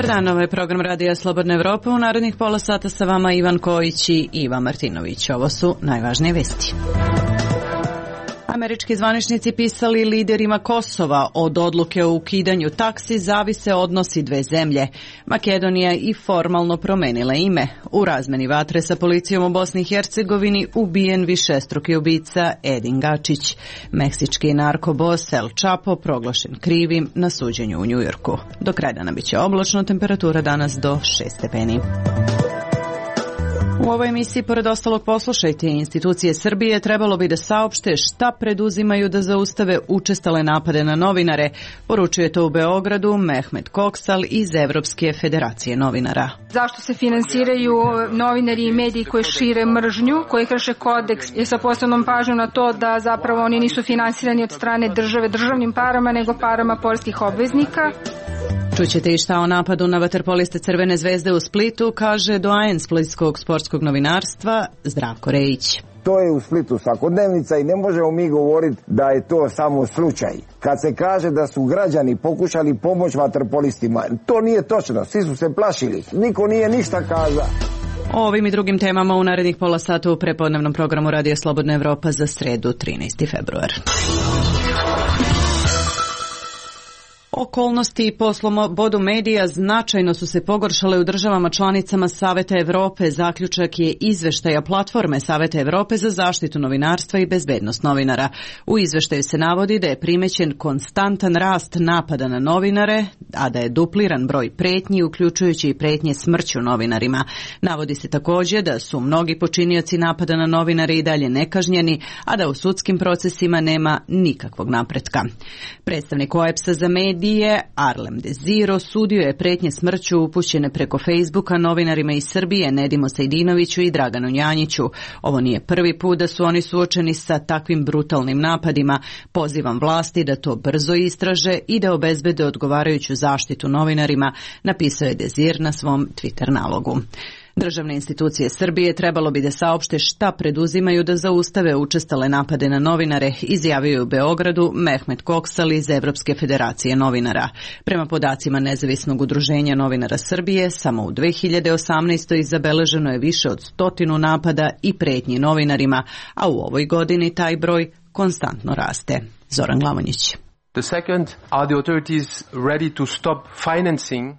Dobar dan, ovo je program Radija Slobodne Evrope. U narednih pola sata sa vama Ivan Kojić i Iva Martinović. Ovo su najvažnije vesti. Američki zvaničnici pisali liderima Kosova od odluke o ukidanju taksi zavise odnosi dve zemlje. Makedonija i formalno promenila ime. U razmeni vatre sa policijom u Bosni i Hercegovini ubijen višestruki ubica Edin Gačić. Meksički narkobos El Chapo proglašen krivim na suđenju u Njujorku. Do kraja dana biće oblačno, temperatura danas do 6 stepeni. U ovoj emisiji, pored ostalog, poslušajte, institucije Srbije trebalo bi da saopšte šta preduzimaju da zaustave učestale napade na novinare. Poručuje to u Beogradu Mehmet Koksal iz Evropske federacije novinara. Zašto se finansiraju novinari i mediji koji šire mržnju, koji krše kodeks, je sa posebnom pažnjom na to da zapravo oni nisu finansirani od strane države državnim parama, nego parama poreskih obveznika. Čućete i šta o napadu na vaterpoliste Crvene zvezde u Splitu, kaže doajen splitskog sportskog novinarstva Zdravko Rejić. To je u Splitu svakodnevnica i ne možemo mi govoriti da je to samo slučaj. Kad se kaže da su građani pokušali pomoći vaterpolistima, to nije točno, svi su se plašili, niko nije ništa kazao. O ovim i drugim temama u narednih pola sata u prepodnevnom programu Radija Slobodna Evropa za sredu 13. februar. Okolnosti po slobodu medija značajno su se pogoršale u državama članicama Saveta Evrope. Zaključak je izveštaja platforme Saveta Evrope za zaštitu novinarstva i bezbednost novinara. U izveštaju se navodi da je primećen konstantan rast napada na novinare, a da je dupliran broj pretnji, uključujući i pretnje smrću novinarima. Navodi se također da su mnogi počinioci napada na novinare i dalje nekažnjeni, a da u sudskim procesima nema nikakvog napretka. Predstavnik OEBS-a za medije Arlem Deziro sudio je pretnje smrću upućene preko Facebooka novinarima iz Srbije Nedimu Sejdinoviću i Draganu Njanjiću. Ovo nije prvi put da su oni suočeni sa takvim brutalnim napadima. Pozivam vlasti da to brzo istraže i da obezbede odgovarajuću zaštitu novinarima, napisao je Dezir na svom Twitter nalogu. Državne institucije Srbije trebalo bi da saopšte šta preduzimaju da zaustave učestale napade na novinare, izjavio je u Beogradu Mehmet Koksal iz Evropske federacije novinara. Prema podacima Nezavisnog udruženja novinara Srbije, samo u 2018. zabeleženo je više od 100 napada i pretnji novinarima, a u ovoj godini taj broj konstantno raste. Zoran Glavonjić.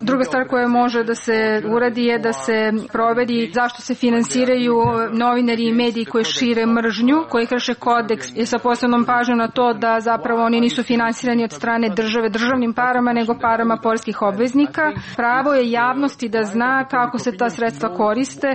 Druga stvar koja može da se uradi je da se proveri zašto se finansiraju novinari i mediji koji šire mržnju, koji krše kodeks, je sa posebnom pažnjom na to da zapravo oni nisu finansirani od strane države državnim parama, nego parama poreskih obveznika. Pravo je javnosti da zna kako se ta sredstva koriste.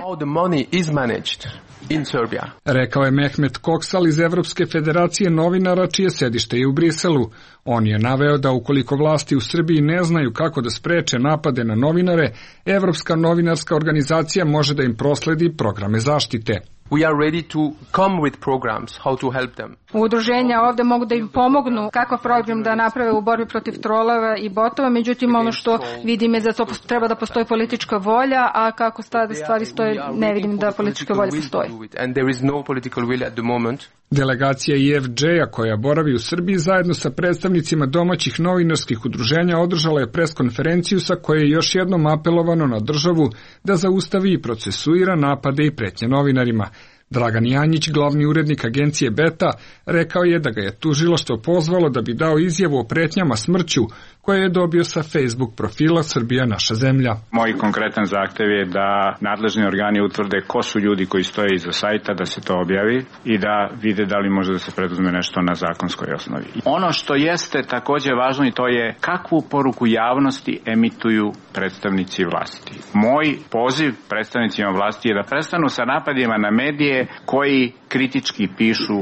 Rekao je Mehmet Koksal iz Evropske federacije novinara, čije sedište je u Briselu. On je naveo da ukoliko vlasti u Srbiji ne znaju kako da spreče napade na novinare, Evropska novinarska organizacija može da im prosledi programe zaštite. We are ready to come with programs how to help them. Udruženja ovde mogu da im pomognu kakav program da naprave u borbi protiv trolova i botova, međutim ono što vidim je da to treba da postoji politička volja, a kako stvari stoje ne vidim da politička volja postoji. And there is no political will at the moment. Delegacija IFJ-a koja boravi u Srbiji zajedno sa predstavnicima domaćih novinarskih udruženja održala je preskonferenciju sa koje je još jednom apelovano na državu da zaustavi i procesuira napade i pretnje novinarima. Dragan Janjić, glavni urednik agencije Beta, rekao je da ga je tužilaštvo pozvalo da bi dao izjavu o pretnjama smrću koje je dobio sa Facebook profila Srbija naša zemlja. Moj konkretan zahtev je da nadležni organi utvrde ko su ljudi koji stoje iza sajta, da se to objavi i da vide da li može da se preduzme nešto na zakonskoj osnovi. Ono što jeste takođe važno i to je kakvu poruku javnosti emituju predstavnici vlasti. Moj poziv predstavnicima vlasti je da prestanu sa napadima na medije koji kritički pišu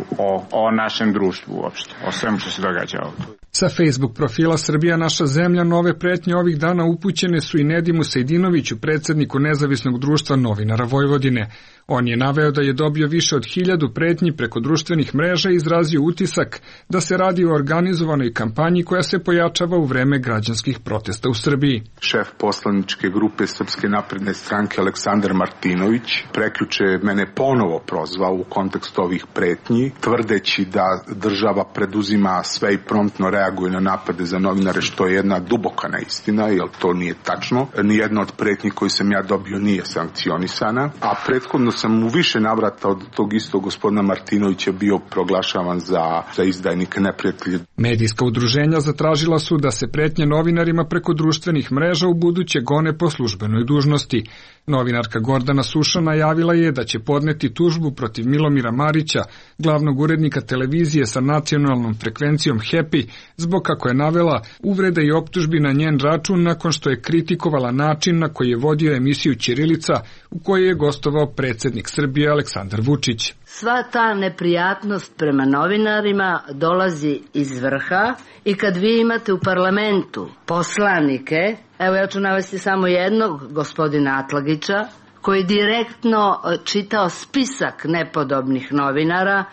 o našem društvu uopšte, o svemu što se događa ovdje. Sa Facebook profila Srbija naša zemlja nove pretnje ovih dana upućene su i Nedimu Sejdinoviću, predsjedniku Nezavisnog društva novinara Vojvodine. On je naveo da je dobio više od 1000 pretnji preko društvenih mreža i izrazio utisak da se radi o organizovanoj kampanji koja se pojačava u vreme građanskih protesta u Srbiji. Šef poslaničke grupe Srpske napredne stranke Aleksandar Martinović prekjuče mene ponovo prozvao u kontekstu ovih pretnji, tvrdeći da država preduzima sve i promptno reaguje na napade za novinare, što je jedna duboka neistina, jer to nije tačno. Nijedna od pretnji koju sam ja dobio nije sankcionisana, a prethodno sam u više navrata od tog istog gospodina Martinovića bio proglašavan za izdajnika, neprijatelja. Medijska udruženja zatražila su da se pretnje novinarima preko društvenih mreža u buduće gone po službenoj dužnosti. Novinarka Gordana Suša najavila je da će podneti tužbu protiv Milomira Marića, glavnog urednika televizije sa nacionalnom frekvencijom Happy, zbog, kako je navela, uvreda i optužbi na njen račun nakon što je kritikovala način na koji je vodio emisiju Ćirilica u kojoj je gostovao predsjednik Srbije Aleksandar Vučić. Sva ta neprijatnost prema novinarima dolazi iz vrha i kad vi imate u parlamentu poslanike, evo ja ću navesti samo jednog, gospodina Atlagića, koji direktno čitao spisak nepodobnih novinara,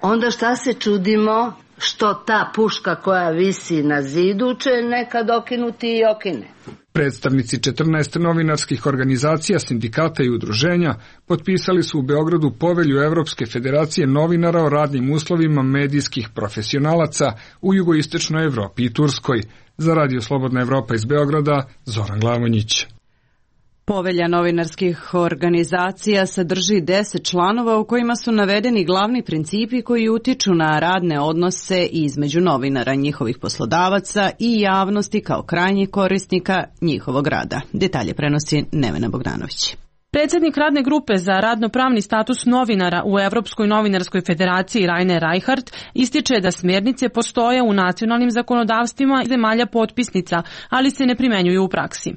onda šta se čudimo što ta puška koja visi na zidu će nekad okinuti i okine. Predstavnici 14 novinarskih organizacija, sindikata i udruženja potpisali su u Beogradu povelju Evropske federacije novinara o radnim uslovima medijskih profesionalaca u jugoistočnoj Evropi i Turskoj. Za Radio Slobodna Evropa iz Beograda, Zoran Glavonjić. Povelja novinarskih organizacija sadrži 10 članova u kojima su navedeni glavni principi koji utiču na radne odnose između novinara, njihovih poslodavaca i javnosti kao krajnjih korisnika njihovog rada. Detalje prenosi Nevena Bogdanović. Predsjednik radne grupe za radnopravni status novinara u Evropskoj novinarskoj federaciji Rainer Reichart ističe da smjernice postoje u nacionalnim zakonodavstvima zemalja potpisnica, ali se ne primenjuju u praksi.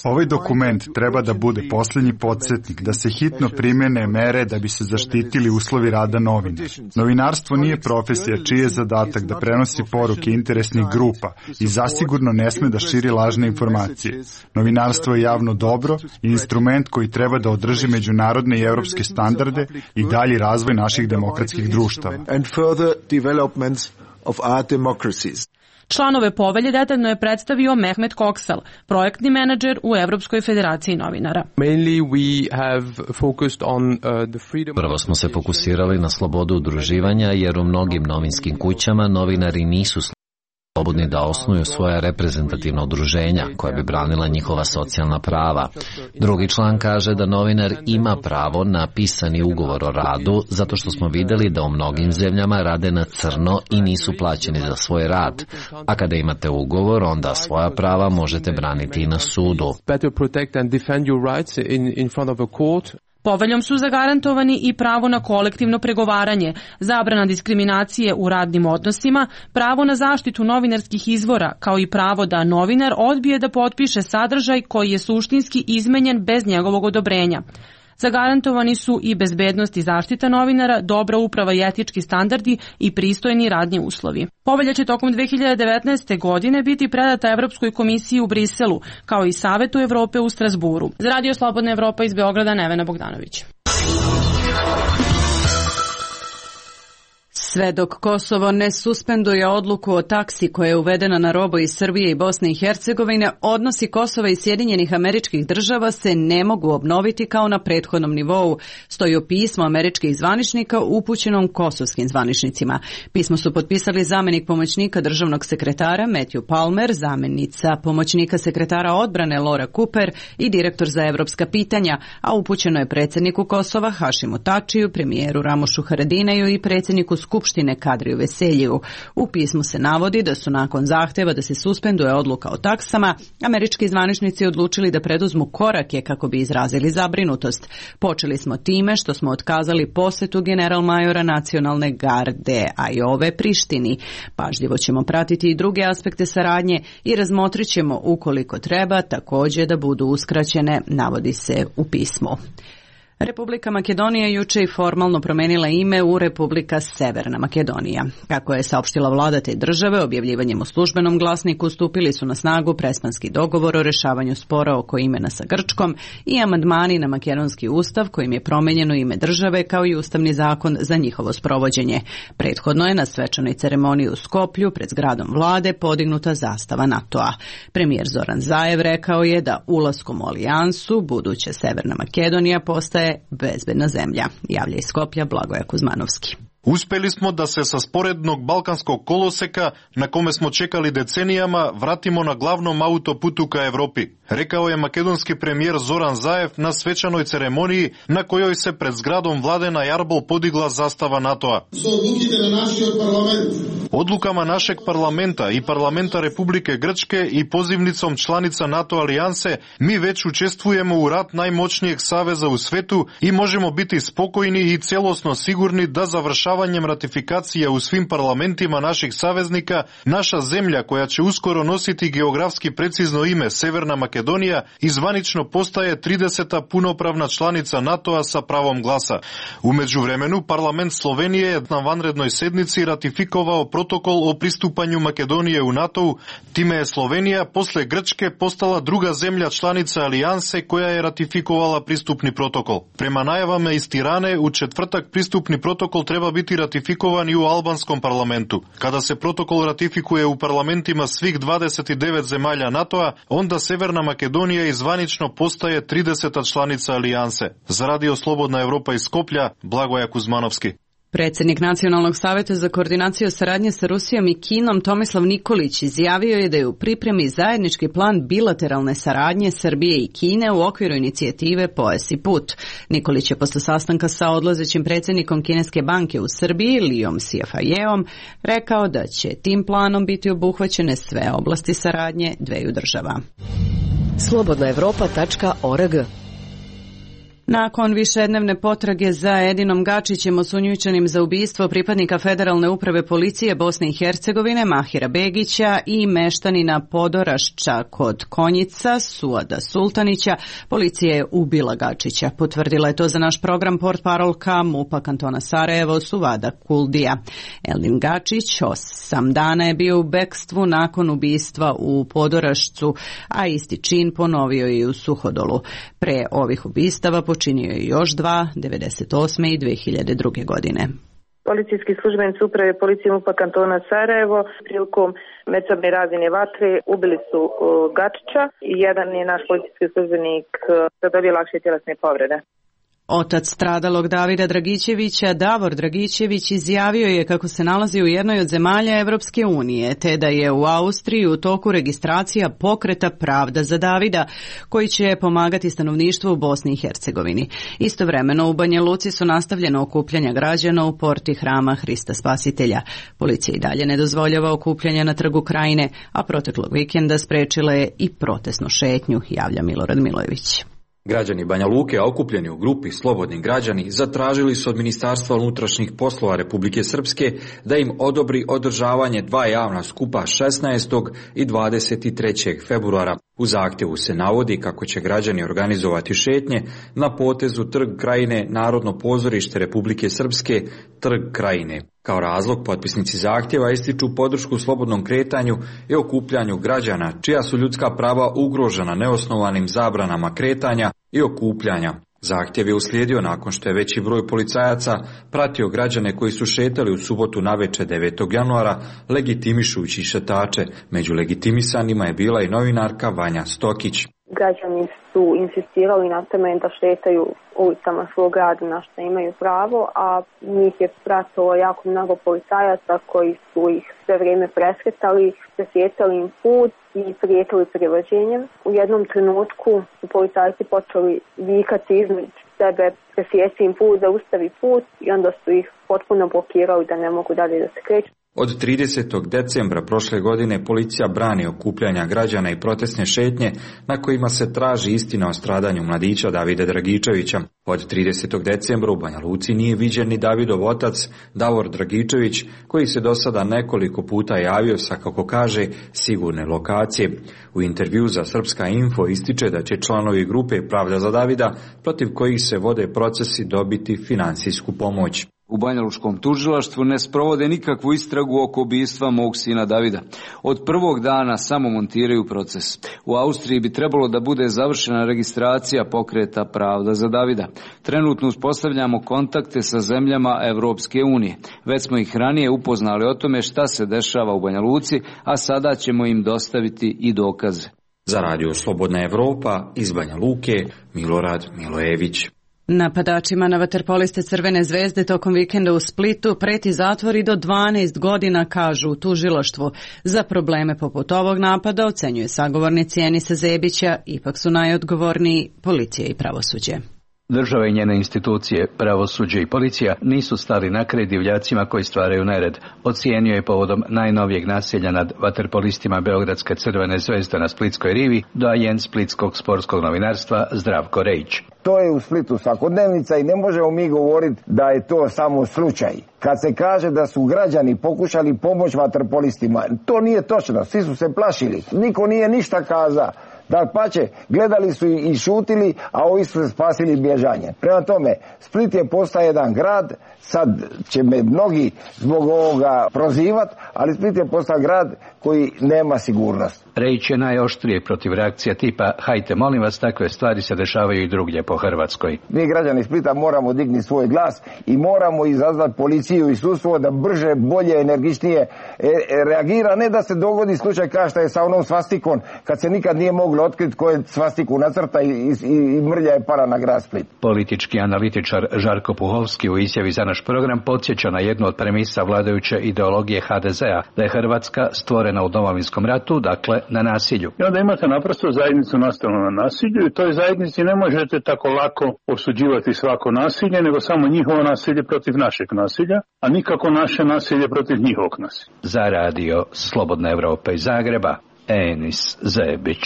Ovaj dokument treba da bude posljednji podsjetnik da se hitno primene mere da bi se zaštitili uslovi rada novinara. Novinarstvo nije profesija čiji je zadatak da prenosi poruke interesnih grupa i zasigurno ne sme da širi lažne informacije. Novinarstvo je javno dobro i instrument koji treba da održi međunarodne i evropske standarde i dalji razvoj naših demokratskih društava. Članove povelje detaljno je predstavio Mehmet Koksal, projektni menadžer u Evropskoj federaciji novinara. Prvo smo se fokusirali na slobodu udruživanja, jer u mnogim novinskim kućama novinari nisu slobodni da osnuju svoja reprezentativna udruženja koja bi branila njihova socijalna prava. Drugi član kaže da novinar ima pravo na pisani ugovor o radu zato što smo vidjeli da u mnogim zemljama rade na crno i nisu plaćeni za svoj rad. A kada imate ugovor, onda svoja prava možete braniti i na sudu. Poveljom su zagarantovani i pravo na kolektivno pregovaranje, zabrana diskriminacije u radnim odnosima, pravo na zaštitu novinarskih izvora, kao i pravo da novinar odbije da potpiše sadržaj koji je suštinski izmenjen bez njegovog odobrenja. Zagarantovani su i bezbednost i zaštita novinara, dobra uprava i etički standardi i pristojni radni uslovi. Povelja će tokom 2019. godine biti predata Evropskoj komisiji u Briselu, kao i Savetu Evrope u Strasburu. Za Radio Slobodna Evropa iz Beograda, Nevena Bogdanović. Sve dok Kosovo ne suspenduje odluku o taksi koja je uvedena na robu iz Srbije i Bosne i Hercegovine, odnosi Kosova i Sjedinjenih Američkih Država se ne mogu obnoviti kao na prethodnom nivou, stoji u pismu američkih zvaničnika upućenom kosovskim zvaničnicima. Pismo su potpisali zamjenik pomoćnika državnog sekretara Matthew Palmer, zamjenica pomoćnika sekretara odbrane Laura Cooper i direktor za evropska pitanja, a upućeno je predsjedniku Kosova Hašimu Tačiju, premijeru Ramošu Haradinaju i predsjedniku Skupštine Kadriju Veseljiju. U pismu se navodi da su nakon zahtjeva da se suspenduje odluka o taksama, američki zvaničnici odlučili da preduzmu korake kako bi izrazili zabrinutost. Počeli smo time što smo otkazali posjetu generalmajora nacionalne garde Ajove Prištini. Pažljivo ćemo pratiti i druge aspekte saradnje i razmotrit ćemo ukoliko treba također da budu uskraćene, navodi se u pismu. Republika Makedonija juče i formalno promenila ime u Republika Severna Makedonija. Kako je saopštila vlada te države, objavljivanjem u službenom glasniku stupili su na snagu prespanski dogovor o rešavanju spora oko imena sa Grčkom i amandmani na makedonski ustav kojim je promenjeno ime države kao i ustavni zakon za njihovo sprovođenje. Prethodno je na svečanoj ceremoniji u Skoplju pred zgradom vlade podignuta zastava NATO-a. Premijer Zoran Zaev rekao je da ulaskom u alijansu buduća Severna Makedonija postaje bezbedna zemlja. Javlja iz Skoplja Blagoje Kuzmanovski. Uspeli smo da se sa sporednog balkanskog koloseka, na kome smo čekali decenijama, vratimo na glavnom autoputu ka Evropi, rekao je makedonski premijer Zoran Zaev na svečanoj ceremoniji na kojoj se pred zgradom vlade na Jarbol podigla zastava NATO-a. Odlukama našeg parlamenta i parlamenta Republike Grčke i pozivnicom članica NATO alijanse mi već učestvujemo u rat najmoćnijeg saveza u svetu i možemo biti spokojni i celosno sigurni da završavanjem ratifikacije u svim parlamentima naših saveznika, naša zemlja koja će uskoro nositi geografski precizno ime Severna Makedonija i zvanično postaje 30. punopravna članica NATO-a sa pravom glasa. U međuvremenu parlament Slovenije je na vanrednoj sednici ratifikovao protokol o pristupanju Makedonije u NATO-u, time je Slovenija posle Grčke postala druga zemlja članica alijanse koja je ratifikovala pristupni protokol. Prema najavama iz Tirane, u četvrtak pristupni protokol treba biti ratifikovan i u albanskom parlamentu. Kada se protokol ratifikuje u parlamentima svih 29 zemalja NATO-a, onda Severna Makedonija i zvanično postaje 30. članica alijanse. Za Radio Slobodna Evropa iz Skoplja, Blagoje Kuzmanovski. Predsjednik Nacionalnog saveta za koordinaciju saradnje sa Rusijom i Kinom Tomislav Nikolić izjavio je da je u pripremi zajednički plan bilateralne saradnje Srbije i Kine u okviru inicijative Pojas i put. Nikolić je posle sastanka sa odlazećim predsjednikom Kineske banke u Srbiji, Lijom Sijafajeom, rekao da će tim planom biti obuhvaćene sve oblasti saradnje dveju država. Slobodnaevropa.org. Nakon višednevne potrage za Edinom Gačićem, osumnjičenim za ubistvo pripadnika Federalne uprave policije Bosne i Hercegovine Mahira Begića i meštanina Podorašća kod Konjica Suada Sultanića, policija je ubila Gačića. Potvrdila je to za naš program portparolka MUP-a kantona Sarajevo Suvada Kuldija. Edin Gačić 8 dana je bio u bekstvu nakon ubistva u Podorašcu, a isti čin ponovio je i u Suhodolu. Pre ovih ubistava počinio je još 2, 98. i 2002. godine. Policijski službenici uprave policije MUP-a kantona Sarajevo prilikom međusobne razmjene vatre ubili su Gačića i jedan je naš policijski službenik zadobio lakše tjelesne povrede. Otac stradalog Davida Dragićevića, Davor Dragićević, izjavio je kako se nalazi u jednoj od zemalja Evropske unije, te da je u Austriji u toku registracija pokreta Pravda za Davida, koji će pomagati stanovništvu u Bosni i Hercegovini. Istovremeno u Banja Luci su nastavljena okupljanja građana u porti Hrama Hrista Spasitelja. Policija i dalje ne dozvoljava okupljanja na Trgu Krajine, a proteklog vikenda sprečila je i protestnu šetnju, javlja Milorad Milojević. Građani Banja Luke, okupljeni u grupi Slobodni građani, zatražili su od Ministarstva unutrašnjih poslova Republike Srpske da im odobri održavanje 2 javna skupa 16. i 23. februara. U zahtjevu se navodi kako će građani organizovati šetnje na potezu Trg Krajine, Narodno pozorište Republike Srpske, Trg Krajine. Kao razlog, potpisnici zahtjeva ističu podršku slobodnom kretanju i okupljanju građana, čija su ljudska prava ugrožena neosnovanim zabranama kretanja i okupljanja. Zahtjev je uslijedio nakon što je veći broj policajaca pratio građane koji su šetali u subotu navečer 9. januara, legitimišujući šetače. Među legitimisanima je bila i novinarka Vanja Stokić. Građani su insistirali na tome da šetaju ulicama svog grada na što imaju pravo, a njih je pratilo jako mnogo policajaca koji su ih sve vrijeme presretali, presjetali im put i prijetili privođenjem. U jednom trenutku su policajci počeli vikati između sebe, presjeci im put, zaustavi put, i onda su ih potpuno blokirali da ne mogu dalje da se kreću. Od 30. decembra prošle godine policija brani okupljanja građana i protestne šetnje na kojima se traži istina o stradanju mladića Davida Dragičevića. Od 30. decembra u Banja Luci nije viđen ni Davidov otac Davor Dragičević, koji se do sada nekoliko puta javio sa, kako kaže, sigurne lokacije. U intervju za Srpska info ističe da će članovi grupe Pravda za Davida, protiv kojih se vode procesi, dobiti finansijsku pomoć. U banjalučkom tužilaštvu ne sprovode nikakvu istragu oko ubistva mog sina Davida. Od prvog dana samo montiraju proces. U Austriji bi trebalo da bude završena registracija pokreta Pravda za Davida. Trenutno uspostavljamo kontakte sa zemljama Evropske unije. Već smo ih ranije upoznali o tome šta se dešava u Banja Luci, a sada ćemo im dostaviti i dokaze. Za Radio Slobodna Evropa iz Banja Luke, Milorad Milojević. Napadačima na vaterpoliste Crvene zvezde tokom vikenda u Splitu preti zatvor i do 12 godina, kažu u tužilaštvu. Za probleme poput ovog napada, ocenjuje sagovornici Enisa Zebića, ipak su najodgovorniji policija i pravosuđe. Država i njene institucije, pravosuđe i policija nisu stali na kraj divljacima koji stvaraju nered. Ocijenio je povodom najnovijeg nasilja nad vaterpolistima Beogradske Crvene zvezde na Splitskoj rivi doajen splitskog sportskog novinarstva Zdravko Rejić. To je u Splitu svakodnevnica i ne možemo mi govoriti da je to samo slučaj. Kad se kaže da su građani pokušali pomoć vaterpolistima, to nije točno, svi su se plašili, niko nije ništa kazao. Dapače, gledali su i šutili, a ovi su se spasili bježanje. Prema tome, Split je postao jedan grad, sad će me mnogi zbog ovoga prozivati, ali Split je postao grad koji nema sigurnost. Rejić je najoštrije protiv reakcija tipa hajte molim vas, takve stvari se dešavaju i drugdje po Hrvatskoj. Mi građani Splita moramo digni svoj glas i moramo izazvati policiju i sudstvo da brže, bolje, energičnije reagira, ne da se dogodi slučaj kao što je sa onom svastikom, kad se nikad nije moglo otkriti ko je svastiku nacrta i mrlja je para na grad Split. Politički analitičar Žarko Puhovski u izjavi za naš program podsjeća na jednu od premisa vladajuće ideologije HDZ-a, da je Hrvatska stvorena u Domovinskom ratu, dakle na nasilju. I onda imate naprosto zajednicu nastalu na nasilju i toj zajednici ne možete tako lako osuđivati svako nasilje, nego samo njihovo nasilje protiv našeg nasilja, a nikako naše nasilje protiv njihovog nasilja. Za Radio Slobodna Evropa iz Zagreba, Enis Zebić.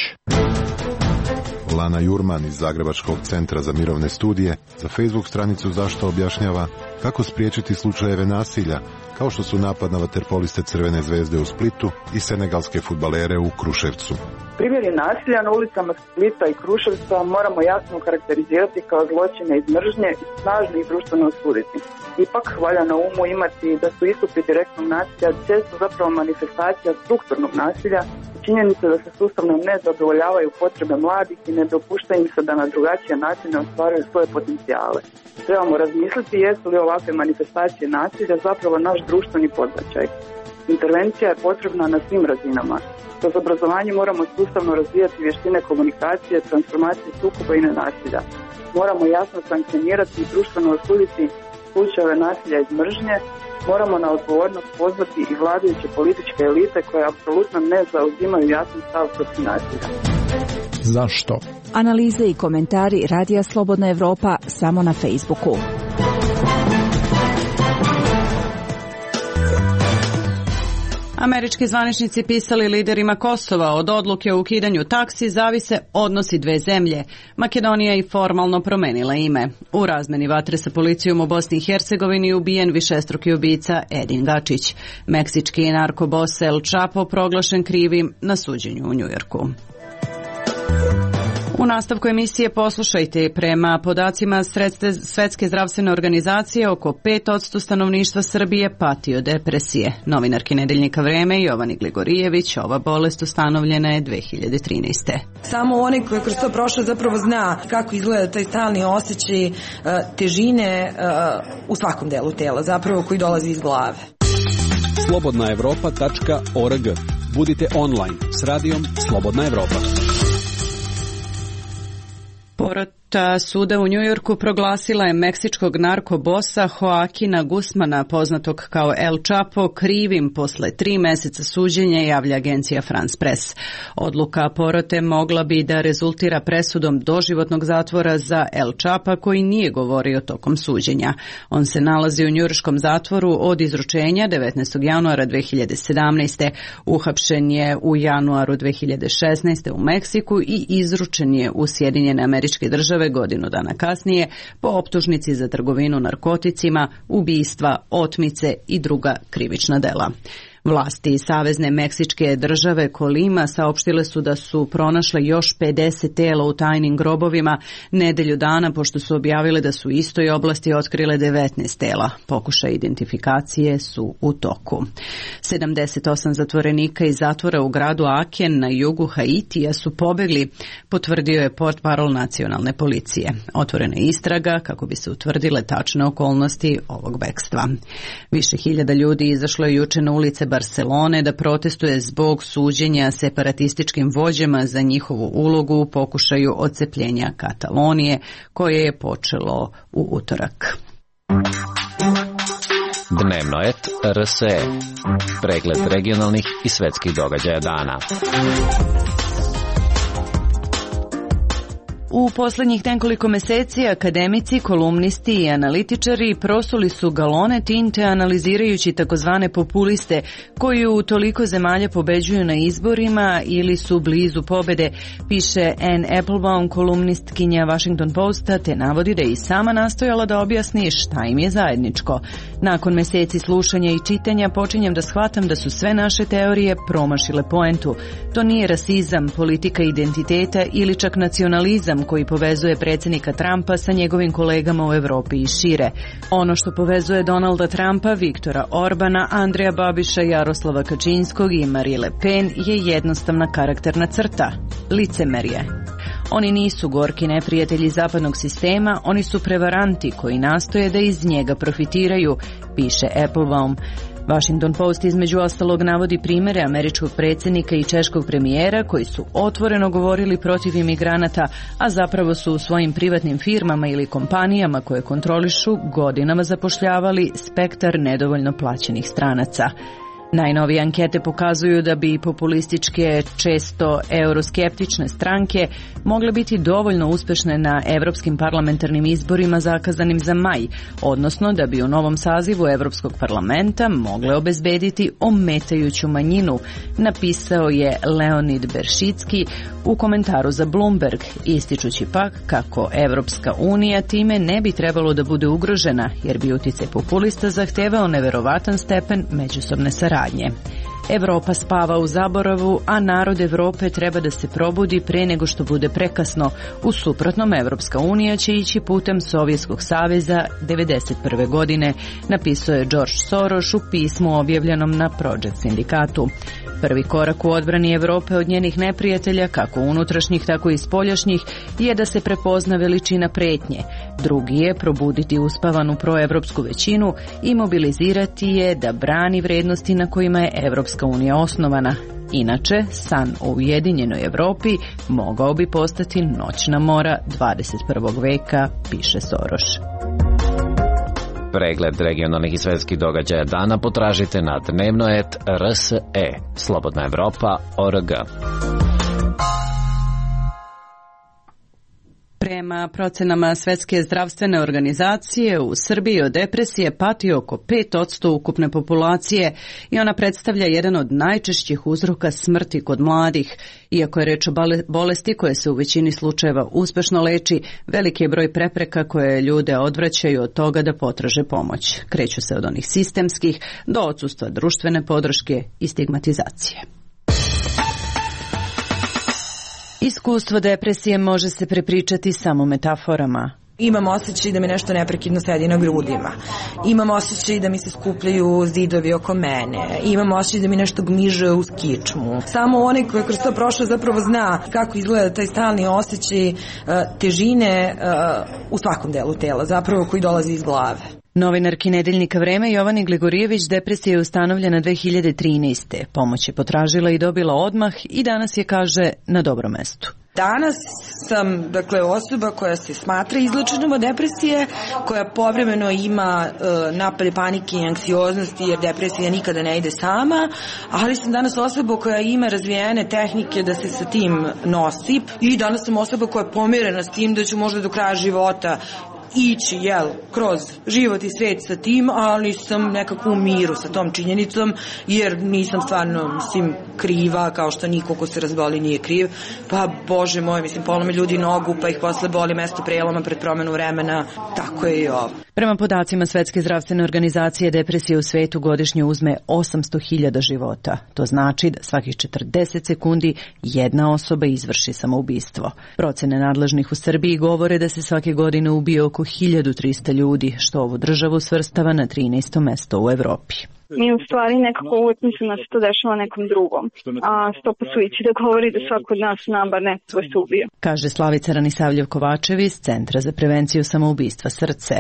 Lana Jurman iz Zagrebačkog centra za mirovne studije za Facebook stranicu Zašto objašnjava kako spriječiti slučajeve nasilja, kao što su napad na vaterpoliste Crvene zvezde u Splitu i senegalske fudbalere u Kruševcu. Primjeri nasilja na ulicama Splita i Kruševca moramo jasno karakterizirati kao zločine iz mržnje i snažno ih društveno osuditi. Ipak valja na umu imati da su istupi direktnog nasilja često zapravo manifestacija strukturnog nasilja, činjenica da se sustavno ne zadovoljavaju potrebe mladih i ne dopušta im se da na drugačije načine ostvaruju svoje potencijale. Trebamo razmisliti jesu li ovakve manifestacije nasilja zapravo naš društveni podbačaj. Intervencija je potrebna na svim razinama. Kroz obrazovanje moramo sustavno razvijati vještine komunikacije, transformacije sukoba i nenasilja. Moramo jasno sankcionirati i društveno osuditi slučajeve nasilja iz mržnje. Moramo na odgovornost pozvati i vladajuće političke elite koje apsolutno ne zauzimaju jasan stav protiv nasilja. Zašto? Analize i komentari Radija Slobodna Evropa samo na Facebooku. Američki zvaničnici pisali liderima Kosova od odluke o ukidanju taksi zavise odnosi dve zemlje. Makedonija je formalno promenila ime. U razmeni vatre sa policijom u Bosni i Hercegovini ubijen višestruki ubica Edin Gačić. Meksički narkobos El Chapo proglašen krivim na suđenju u Njujorku. U nastavku emisije poslušajte, prema podacima Svetske zdravstvene organizacije oko 5% stanovništva Srbije pati od depresije. Novinarki Nedeljnika Vreme Jovani Gligorijević, ova bolest ustanovljena je 2013. Samo onaj koji je kroz to prošao zapravo zna kako izgleda taj stalni osjećaj težine u svakom delu tela, zapravo koji dolazi iz glave. slobodnaevropa.org. Budite online s radijom Slobodna Evropa. Korte suda u Njujorku proglasila je meksičkog narkobosa Joaquina Guzmana, poznatog kao El Chapo, krivim posle 3 meseca suđenja, javlja agencija France Press. Odluka porote mogla bi da rezultira presudom doživotnog zatvora za El Chapa, koji nije govorio tokom suđenja. On se nalazi u njujorškom zatvoru od izručenja 19. januara 2017. Uhapšen je u januaru 2016. u Meksiku i izručen je u Sjedinjene Američke Države godinu dana kasnije po optužnici za trgovinu narkoticima, ubistva, otmice i druga krivična dela. Vlasti Savezne Meksičke države Kolima saopštile su da su pronašle još 50 tela u tajnim grobovima nedelju dana pošto su objavile da su u istoj oblasti otkrile 19 tela. Pokušaj identifikacije su u toku. 78 zatvorenika iz zatvora u gradu Aken na jugu Haitija su pobegli, potvrdio je portparol nacionalne policije. Otvorena je istraga kako bi se utvrdile tačne okolnosti ovog bekstva. Više hiljada ljudi izašlo je juče na ulice Barcelone da protestuje zbog suđenja separatističkim vođama za njihovu ulogu u pokušaju odcepljenja Katalonije, koje je počelo u utorak. Dnevno et RSE. Pregled regionalnih i svetskih događaja dana. U poslednjih nekoliko meseci akademici, kolumnisti i analitičari prosuli su galone tinte analizirajući takozvane populiste koji u toliko zemalja pobeđuju na izborima ili su blizu pobede, piše Anne Applebaum, kolumnistkinja Washington Posta, te navodi da je i sama nastojala da objasni šta im je zajedničko. Nakon meseci slušanja i čitanja počinjem da shvatam da su sve naše teorije promašile poentu. To nije rasizam, politika identiteta ili čak nacionalizam koji povezuje predsjednika Trumpa sa njegovim kolegama u Evropi i šire. Ono što povezuje Donalda Trumpa, Viktora Orbana, Andreja Babiša, Jaroslava Kačinskog i Marine Le Pen je jednostavna karakterna crta – licemerje. Oni nisu gorki neprijatelji zapadnog sistema, oni su prevaranti koji nastoje da iz njega profitiraju, piše Applebaum. Washington Post između ostalog navodi primere američkog predsjednika i češkog premijera koji su otvoreno govorili protiv imigranata, a zapravo su u svojim privatnim firmama ili kompanijama koje kontrolišu godinama zapošljavali spektar nedovoljno plaćenih stranaca. Najnovije ankete pokazuju da bi populističke, često euroskeptične stranke mogle biti dovoljno uspešne na evropskim parlamentarnim izborima zakazanim za maj, odnosno da bi u novom sazivu Evropskog parlamenta mogle obezbediti ometajuću manjinu, napisao je Leonid Beršicki u komentaru za Bloomberg, ističući pak kako Evropska unija time ne bi trebalo da bude ugrožena, jer bi uticaj populista zahtevao neverovatan stepen međusobne saradnje. Evropa spava u zaboravu, a narod Evrope treba da se probudi pre nego što bude prekasno. U suprotnom, Evropska unija će ići putem Sovjetskog saveza 1991. godine, napisao je George Soros u pismu objavljenom na Project sindikatu. Prvi korak u odbrani Evrope od njenih neprijatelja, kako unutrašnjih, tako i spoljašnjih, je da se prepozna veličina pretnje. Drugi je probuditi uspavanu proevropsku većinu i mobilizirati je da brani vrednosti na kojima je Evropska unija osnovana. Inače, san o ujedinjenoj Evropi mogao bi postati noćna mora 21. veka, piše Soros. Pregled regionalnih i svetskih događaja dana potražite na dnevno.rs.e. Slobodna Evropa.org. Prema procenama Svetske zdravstvene organizacije, u Srbiji od depresije pati oko 5% ukupne populacije i ona predstavlja jedan od najčešćih uzroka smrti kod mladih. Iako je reč o bolesti koje se u većini slučajeva uspešno leči, veliki je broj prepreka koje ljude odvraćaju od toga da potraže pomoć. Kreću se od onih sistemskih do odsustva društvene podrške i stigmatizacije. Iskustvo depresije može se prepričati samo metaforama. Imam osjećaj da mi nešto neprekidno sedi na grudima. Imam osjećaj da mi se skupljaju zidovi oko mene. Imam osjećaj da mi nešto gmiže uz kičmu. Samo onaj koji je kroz to prošao zapravo zna kako izgleda taj stalni osjećaj težine u svakom delu tela, zapravo koji dolazi iz glave. Novinarki Nedeljnika Vreme Jovani Gligorijević depresija je ustanovljena 2013. Pomoć je potražila i dobila odmah i danas je, kaže, na dobrom mestu. Danas sam, osoba koja se smatra izlečenom od depresije, koja povremeno ima napade panike i anksioznosti, jer depresija nikada ne ide sama, ali sam danas osoba koja ima razvijene tehnike da se sa tim nosi i danas sam osoba koja je pomirena s tim da ću možda do kraja života ići, kroz život i svet sa tim, ali sam nekako u miru sa tom činjenicom, jer nisam stvarno, kriva, kao što niko ko se razboli nije kriv, pa bože moj, polome ljudi nogu, pa ih posle boli mesto preloma pred promenu vremena, tako je i ovo. Prema podacima Svetske zdravstvene organizacije, depresija u svetu godišnje uzme 800.000 života. To znači da svakih 40 sekundi jedna osoba izvrši samoubistvo. Procene nadležnih u Srbiji govore da se svake godine ubije oko 1300 ljudi, što ovu državu svrstava na 13. mesto u Evropi. Mi u stvari nekako uvijek mislim da se to dešava nekom drugom, a stopa suicida govori da svako od nas zna bar neko svoj se ubio. Kaže Slavica Ranisavljev-Kovačev iz Centra za prevenciju samoubistva Srce.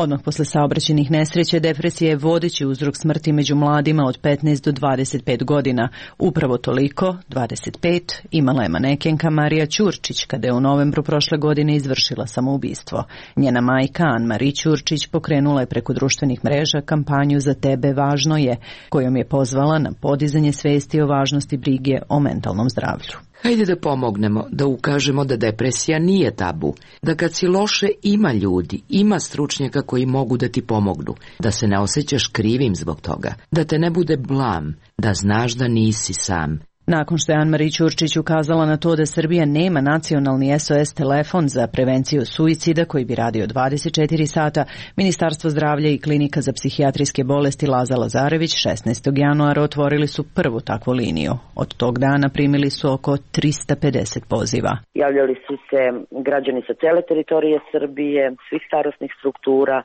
Odmah posle saobraćajnih nesreća depresija je vodeći uzrok smrti među mladima od 15 do 25 godina. Upravo toliko, 25, imala je manekenka Marija Ćurčić kada je u novembru prošle godine izvršila samoubistvo. Njena majka Ann-Marie Ćurčić pokrenula je preko društvenih mreža kampanju Za tebe važno je, kojom je pozvala na podizanje svesti o važnosti brige o mentalnom zdravlju. Hajde da pomognemo, da ukažemo da depresija nije tabu, da kad si loše ima ljudi, ima stručnjaka koji mogu da ti pomognu, da se ne osjećaš krivim zbog toga, da te ne bude blam, da znaš da nisi sam. Nakon što je Ann-Marie Ćurčić ukazala na to da Srbija nema nacionalni SOS telefon za prevenciju suicida koji bi radio 24 sata, Ministarstvo zdravlja i Klinika za psihijatrijske bolesti Laza Lazarević 16. januara otvorili su prvu takvu liniju. Od tog dana primili su oko 350 poziva. Javljali su se građani sa cele teritorije Srbije, svih starosnih struktura,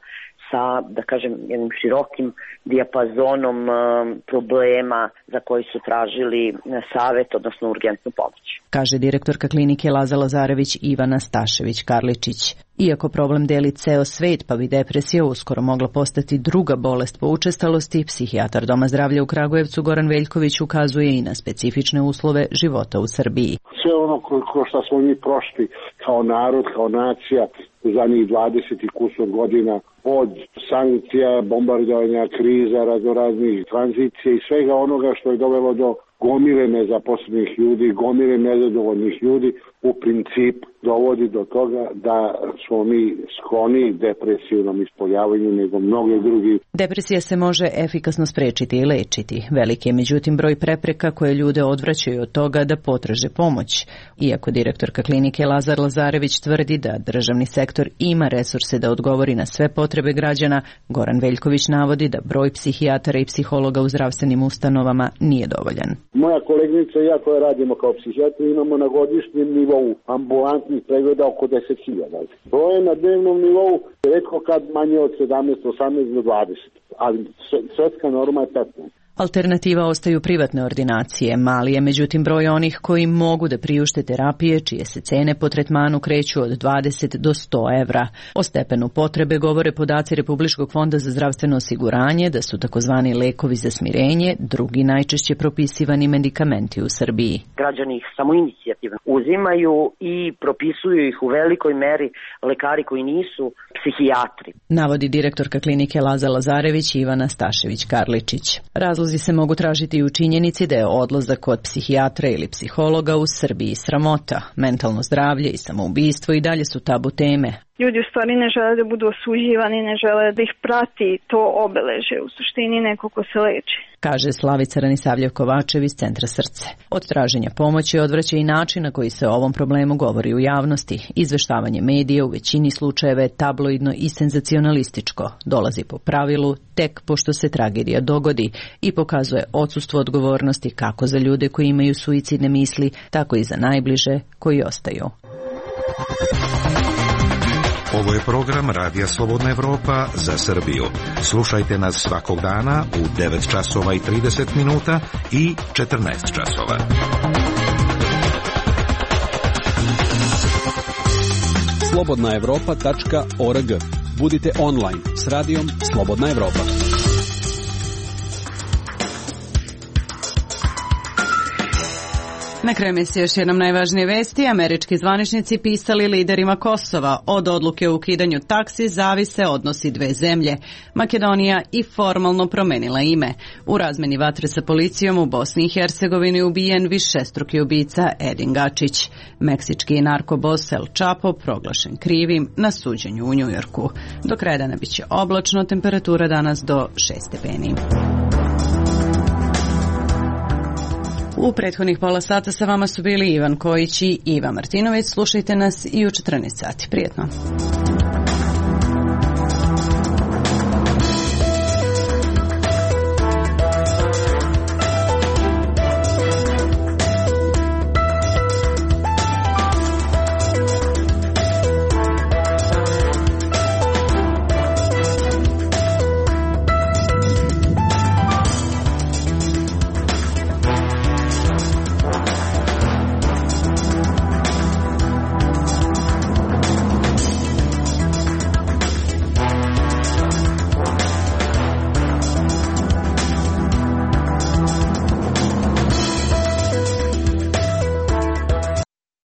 sa, da kažem, jednim širokim dijapazonom problema za koji su tražili savet, odnosno urgentnu pomoć. Kaže direktorka klinike Laza Lazarević Ivana Stašević-Karličić. Iako problem deli ceo svet, pa bi depresija uskoro mogla postati druga bolest po učestalosti, psihijatar Doma zdravlja u Kragujevcu Goran Veljković ukazuje i na specifične uslove života u Srbiji. Sve ono ko što smo mi prošli kao narod, kao nacija u zadnjih 20 i kusur godina, od sankcija, bombardovanja, kriza, raznoraznih tranzicija i svega onoga što je dovelo do gomile nezaposlenih ljudi, gomile nezadovoljnih ljudi, u princip dovodi do toga da smo mi skloni depresivnom ispoljavanju nego mnoge drugi. Depresija se može efikasno sprečiti i lečiti. Veliki je međutim broj prepreka koje ljude odvraćaju od toga da potraže pomoć. Iako direktorka klinike Lazar Lazarević tvrdi da državni sektor ima resurse da odgovori na sve potrebe građana, Goran Veljković navodi da broj psihijatara i psihologa u zdravstvenim ustanovama nije dovoljan. Moja koleginica i ja koja radimo kao psihijatri imamo na godišnjem nivou ambulantnih pregleda oko 10.000. Broj na dnevnom nivou retko kad manje od 17, 18 do 20, ali svetska norma je 15. Alternativa ostaju privatne ordinacije. Mali je međutim broj onih koji mogu da priušte terapije čije se cene po tretmanu kreću od 20 do 100 evra. O stepenu potrebe govore podaci Republičkog fonda za zdravstveno osiguranje da su takozvani lekovi za smirenje drugi najčešće propisivani medikamenti u Srbiji. Građani ih samoinicijativno uzimaju i propisuju ih u velikoj meri lekari koji nisu psihijatri. Navodi direktorka klinike Laza Lazarević Ivana Stašević-Karličić. Razlozi se mogu tražiti i u činjenici da je odlazak kod psihijatra ili psihologa u Srbiji sramota. Mentalno zdravlje i samoubistvo i dalje su tabu teme. Ljudi u stvari ne žele da budu osuđivani, ne žele da ih prati to obeleže, u suštini neko ko se leči. Kaže Slavica Ranisavljev-Kovačev iz Centra Srce. Od traženja pomoći odvraća i način na koji se o ovom problemu govori u javnosti. Izveštavanje medija u većini slučajeva je tabloidno i senzacionalističko. Dolazi po pravilu tek pošto se tragedija dogodi i pokazuje odsustvo odgovornosti kako za ljude koji imaju suicidne misli, tako i za najbliže koji ostaju. Ovo je program Radija Slobodna Evropa za Srbiju. Slušajte nas svakog dana u 9 časova i 30 minuta i 14 časova. slobodnaevropa.org. Budite online s radijom Slobodna Evropa. Na kraju emisije još jednom najvažnije vesti. Američki zvaničnici pisali liderima Kosova. Od odluke o ukidanju taksi zavise odnosi dve zemlje. Makedonija i formalno promenila ime. U razmeni vatre sa policijom u Bosni i Hercegovini ubijen višestruki ubica Edin Gačić. Meksički narkobos El Chapo proglašen krivim na suđenju u Njujorku. Do kraja dana biće oblačno, temperatura danas do 6 stepeni. U prethodnih pola sata sa vama su bili Ivan Kojić i Iva Martinović. Slušajte nas i u 14 sati. Prijetno.